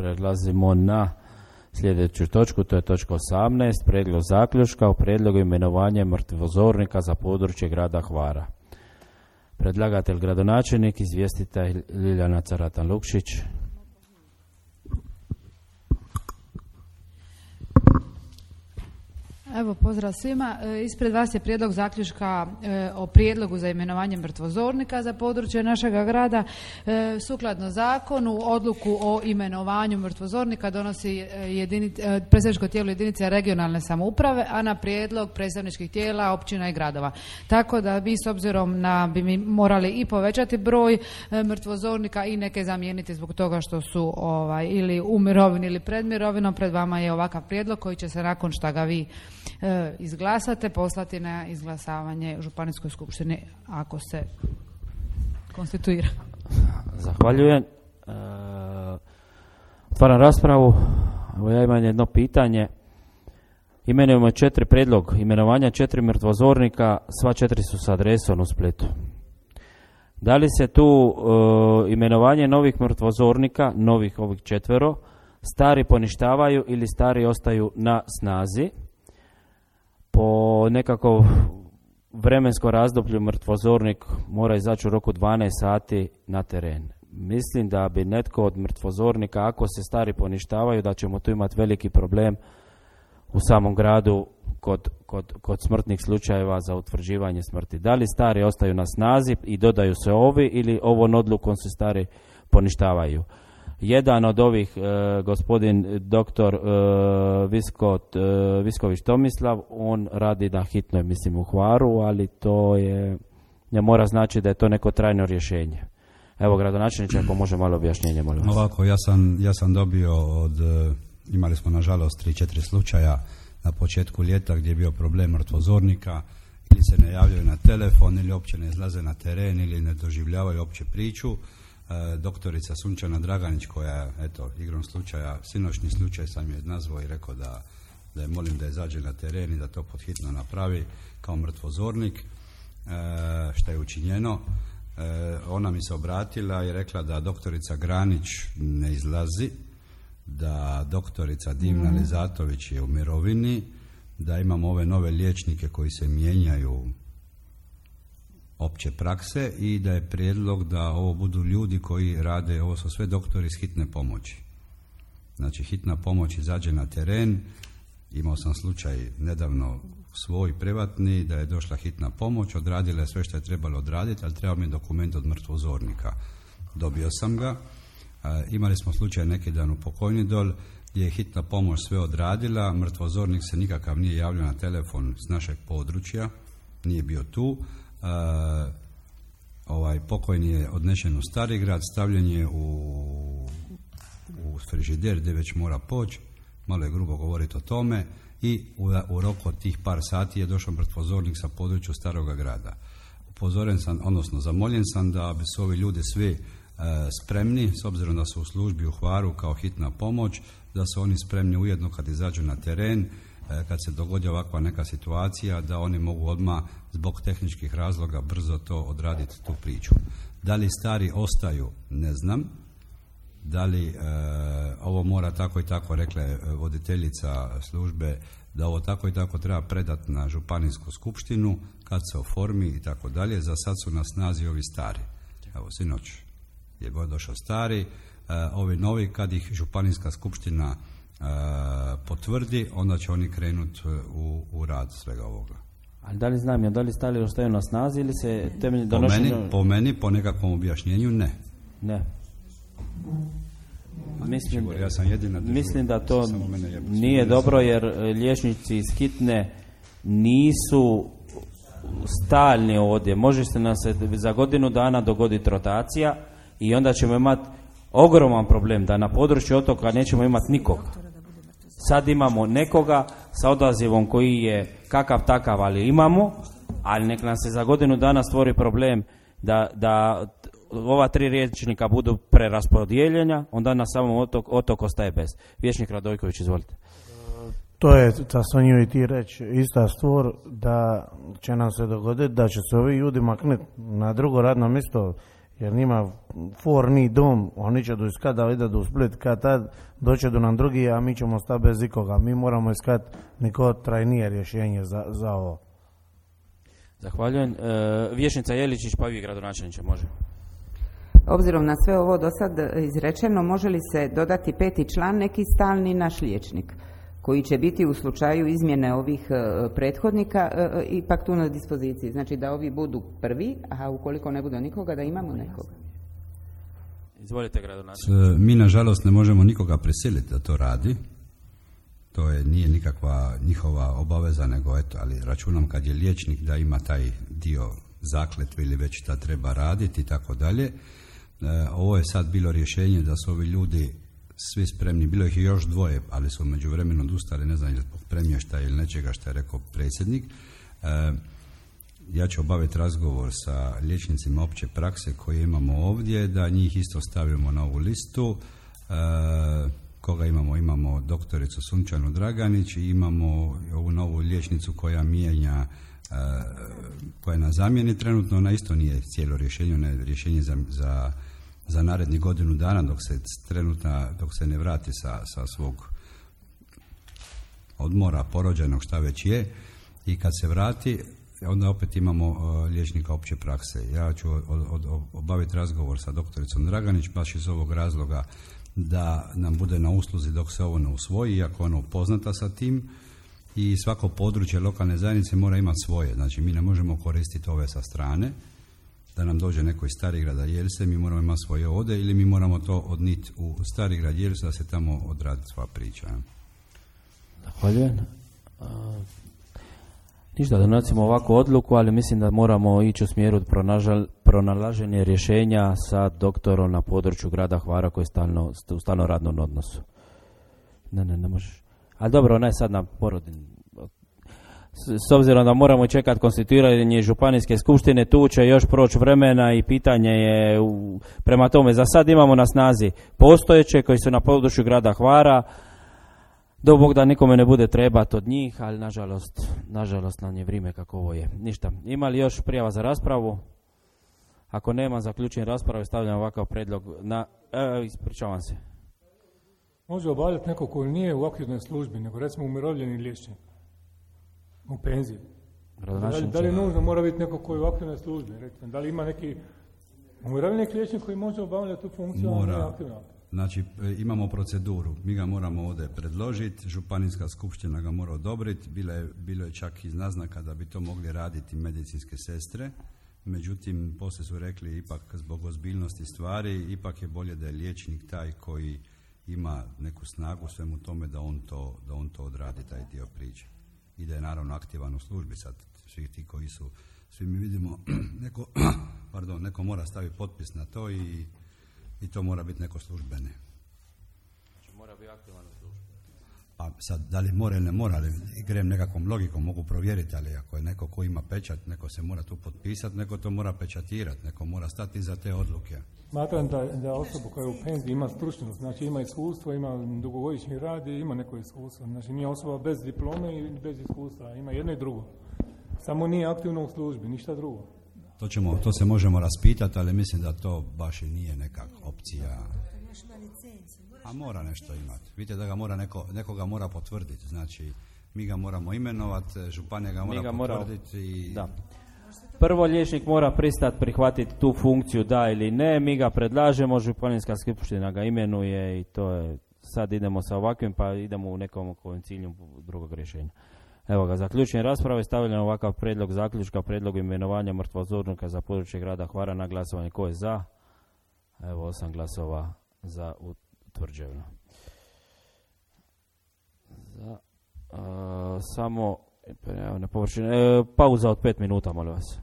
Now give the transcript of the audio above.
Prelazimo na sljedeću točku, to je točka 18, prijedlog zaključka o prijedlogu imenovanja mrtvozornika za područje grada Hvara. Predlagatelj gradonačelnik, izvjestitelj Ljiljana Caratan-Lukšić. Evo, pozdrav svima. Ispred vas je prijedlog zaključka o prijedlogu za imenovanje mrtvozornika za područje našega grada. Sukladno zakonu, odluku o imenovanju mrtvozornika donosi predstavničko tijelo jedinice regionalne samouprave, a na prijedlog predstavničkih tijela općina i gradova. Tako da vi s obzirom na bi mi morali i povećati broj mrtvozornika i neke zamijeniti zbog toga što su ili u mirovini ili pred mirovinom. Pred vama je ovakav prijedlog koji će se nakon što ga vi izglasate poslati na izglasavanje Županijskoj skupštini ako se konstituira. Zahvaljujem. Otvaram raspravu. Evo, ja imam jedno pitanje. Imenujemo 4 prijedlog imenovanja 4 mrtvozornika, sva 4 su s adresom u Splitu. Da li se tu imenovanje novih mrtvozornika, novih ovih 4, stari poništavaju ili stari ostaju na snazi? Po nekako vremenskom razdoblju mrtvozornik mora izaći u roku 12 sati na teren. Mislim da bi netko od mrtvozornika, ako se stari poništavaju, da ćemo tu imati veliki problem u samom gradu kod smrtnih slučajeva za utvrđivanje smrti. Da li stari ostaju na snazi i dodaju se ovi ili ovom odlukom se stari poništavaju? Jedan od ovih, gospodin doktor Visković Tomislav, on radi na hitnoj, mislim, u Hvaru, ali to ne mora znači da je to neko trajno rješenje. Evo, gradonačelniče, ako može malo objašnjenje, molim vas. Ovako, ja sam dobio imali smo nažalost 3-4 slučaja na početku ljeta gdje je bio problem mrtvozornika, ili se ne javljaju na telefon, ili uopće ne izlaze na teren, ili ne doživljavaju uopće priču. Doktorica Sunčana Draganić, koja, eto, igrom slučaja, sinoćni slučaj sam je nazvao i rekao da je molim da izađe na teren i da to podhitno napravi kao mrtvozornik, što je učinjeno. Ona mi se obratila i rekla da doktorica Granić ne izlazi, da doktorica Dimna Lizatović je u mirovini, da imamo ove nove liječnike koji se mijenjaju opće prakse i da je prijedlog da ovo budu ljudi koji rade, ovo su sve doktori iz hitne pomoći. Znači, hitna pomoć izađe na teren. Imao sam slučaj nedavno svoj privatni da je došla hitna pomoć, odradila je sve što je trebalo odraditi, ali treba mi dokument od mrtvozornika. Dobio sam ga. Imali smo slučaj neki dan u Pokojni Dol gdje je hitna pomoć sve odradila, mrtvozornik se nikakav nije javljao na telefon s našeg područja, nije bio tu. Pokojni je odnešen u Starigrad, stavljen je u frižider gdje već mora poći, malo je grubo govoriti o tome, i u roku od tih par sati je došao mrtvozornik sa područja Staroga grada. Upozoren sam, odnosno zamoljen sam da bi su ovi ljudi svi spremni, s obzirom da su u službi u Hvaru kao hitna pomoć, da su oni spremni ujedno kad izađu na teren, kad se dogodi ovakva neka situacija, da oni mogu odmah zbog tehničkih razloga brzo to odraditi, tu priču. Da li stari ostaju, ne znam. Da li ovo mora tako i tako, rekla je voditeljica službe, da ovo tako i tako treba predati na županijsku skupštinu kad se oformi i tako dalje. Za sad su na snazi ovi stari. Evo, sinoć je došao stari, ovi novi, kad ih županijska skupština potvrdi, onda će oni krenuti u rad svega ovoga. Ali da li znam, da li stari ostaju na snazi ili se temelji donošenja? Po meni, po nekakvom objašnjenju, ne. Ne. Mislim da to nije dobro, jer liječnici iz hitne nisu stalni ovdje. Može se nam se za godinu dana dogoditi rotacija i onda ćemo imati ogroman problem da na području otoka nećemo imati nikoga. Sad imamo nekoga sa odazivom koji je kakav takav, ali imamo, ali nek nam se za godinu dana stvori problem da ova 3 liječnika budu preraspodijeljena, onda na samom otok ostaje bez. Vječnik Radojković, izvolite. To je, Sonju i ti reći, ista stvar, da će nam se dogoditi da će se ovi ljudi maknuti na drugo radno mjesto jer njima for ni dom, oni će do iskati da ide do Split, kad tad doće do nam drugi, a mi ćemo stati bez ikoga. Mi moramo iskati neko trajnije rješenje za ovo. Zahvaljujem. Vijećnica Jeličić, pa vi gradonačelniče, može. Obzirom na sve ovo do sad izrečeno, može li se dodati 5. član, neki stalni naš liječnik, koji će biti u slučaju izmjene ovih prethodnika ipak tu na dispoziciji. Znači da ovi budu prvi, a ukoliko ne bude nikoga, da imamo nekoga. Izvolite, gradonačelniče. Mi nažalost ne možemo nikoga prisiliti da to radi. To nije nikakva njihova obaveza, nego eto, ali računam kad je liječnik da ima taj dio zakletve ili već da treba raditi i tako dalje. Ovo je sad bilo rješenje da su ovi ljudi svi spremni, bilo ih je još 2, ali su u međuvremenu odustali, ne znam, zbog premještaja ili nečega što je rekao predsjednik. Ja ću obaviti razgovor sa liječnicima opće prakse koje imamo ovdje, da njih isto stavimo na ovu listu. Koga imamo? Imamo doktoricu Sunčanu Draganić i imamo ovu novu liječnicu koja mijenja, koja je na zamjeni trenutno. Ona isto nije cijelo rješenje, ona je rješenje za narednih godinu dana dok se ne vrati sa svog odmora porođenog, šta već je, i kad se vrati onda opet imamo liječnika opće prakse. Ja ću obaviti razgovor sa doktoricom Draganić baš iz ovog razloga da nam bude na usluzi dok se ovo ne usvoji, iako ona upoznata sa tim, i svako područje lokalne zajednice mora imati svoje. Znači mi ne možemo koristiti ove sa strane, da nam dođe neko iz Starigrada Jelse, mi moramo imati svoje ovdje, ili mi moramo to odniti u Starigrad Jelsu da se tamo odradi sva priča. Zahvaljujem. Ništa, donosimo ovakvu odluku, ali mislim da moramo ići u smjeru pronalaženja rješenja sa doktorom na području grada Hvara koji je u stalno radnom odnosu. Ne možeš. Ali dobro, ona je sad na porodin. S obzirom da moramo čekati konstituiranje županijske skupštine, tu će još proći vremena i pitanje je, prema tome, za sad imamo na snazi postojeće koji su na području grada Hvara, do Bog da nikome ne bude trebati od njih, ali nažalost nam je vrijeme kako ovo je. Ništa. Ima li još prijava za raspravu? Ako nema, zaključujem raspravu i stavljam ovakav predlog na... ispričavam se. Može obavljati neko koji nije u aktivnoj službi, nego recimo umirovljeni liječnik u penziji. Da li nužno mora biti neko koji je u aktivnoj službi? Recimo, da li ima neki umirovljeni liječnik koji može obavljati tu funkciju? Mora. Znači, imamo proceduru. Mi ga moramo ovdje predložiti, županijska skupština ga mora odobriti. Bilo je čak iz naznaka da bi to mogli raditi medicinske sestre. Međutim, poslije su rekli ipak zbog ozbiljnosti stvari, ipak je bolje da je liječnik taj koji ima neku snagu svemu tome da on to odradi, taj dio priče. I da je naravno aktivan u službi sad. Svi mi vidimo, neko mora staviti potpis na to i to mora biti neko službene. Znači mora biti aktivan u službi. Pa sad, da li mora ili ne mora, ali grem nekakvom logikom, mogu provjeriti, ali ako je neko ko ima pečat, neko se mora tu potpisati, neko to mora pečatirati, neko mora stati za te odluke. Smatram da osoba koja je u penziji ima stručnost, znači ima iskustvo, ima dugogodišnji rad i ima neko iskustvo. Znači nije osoba bez diplome i bez iskustva, ima jedno i drugo. Samo nije aktivno u službi, ništa drugo. To se možemo raspitati, ali mislim da to baš i nije neka opcija. A mora nešto imati. Vidite da ga mora nekoga mora potvrditi. Znači, mi ga moramo imenovati, županija ga mora potvrditi. Da. Prvo liječnik mora pristati prihvatiti tu funkciju, da ili ne. Mi ga predlažemo, županijska skupština ga imenuje i to je. Sad idemo sa ovakvim, pa idemo u nekom cilju drugog rješenja. Evo ga, zaključujem raspravu i stavljam ovakav predlog zaključka, predlog imenovanja mrtvozornika za područje grada Hvara na glasovanje. Ko je za? Evo 8 glasova za utvrđeno. Samo pauza od 5 minuta, molim vas.